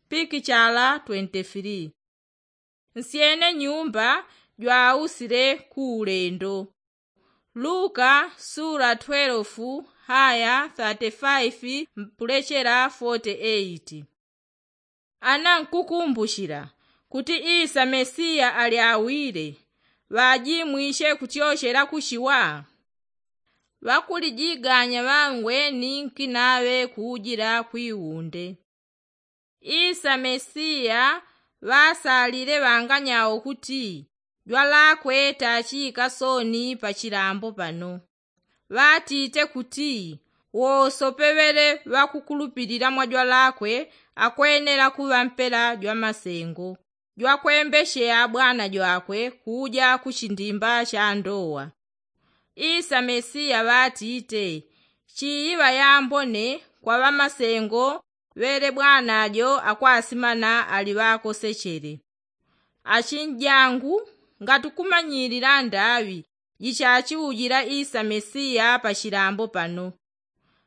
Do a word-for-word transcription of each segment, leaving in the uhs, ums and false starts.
pikichala twenti firii. Nsyene nyumba jwausile ku ulendo. Luka sula twelefu haya thati faifi mpulechela foti eiti. Ana nkukumbuchila kuti isa mesiya ali awile, ŵajimwiche kutyochela kuchiwa? Ŵakulijiganya ŵangwe ni nkinaŵe kuujila kwiwunde. Isa mesiya ŵasalile ŵanganyao kuti jwalakwe tachiika soni pachilambo pano. Ŵatite kuti wosope ŵele ŵakukulupilila mwa jwalakwe akwenela kuŵa mpela jwamasengo jwakwembecheya bwana jwakwe kuuja kuchindimba cha ndowa. Isa mesiya ŵatite, chiiŵa yambone kwa ŵamasengo ŵele bwana jo akwasimana ali ŵakosechele. Achinjangu, ngati kumanyilila ndaŵi jichachiujila isa mesiya pachilambo pano,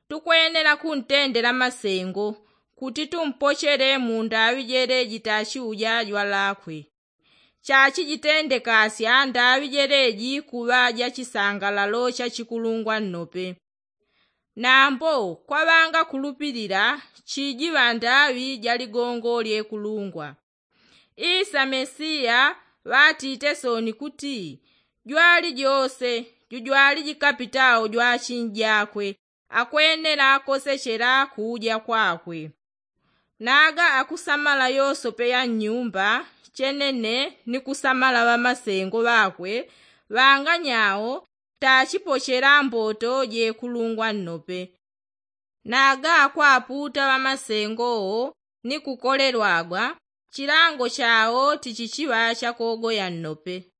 tukwenela kuntendela masengo kuti tumpochele mu ndaŵi jele jitachiuja jwalakwe. Chachijitendekasya ndaŵi jeleji kuŵa jachisangalalo chachikulungwa nnope. Nambo kwa ŵangakulupilila chijiŵa ndaŵi ja ligongo lyekulungwa. Isa mesiya ŵatite soni kuti jwalijose jujwaliji kapitao jwachinjakwe akwenela kosechela kuuja kwakwe. Naga akusamala yosope ya nnyumba chenene ni kusamala ŵamasengo ŵakwe ŵanganyao tachipochela mboto jekulungwa nnope. Naga akwaputa ŵamasengo wo ni kukolelwagwa chilango chao tichichiŵa chakogoya nnope.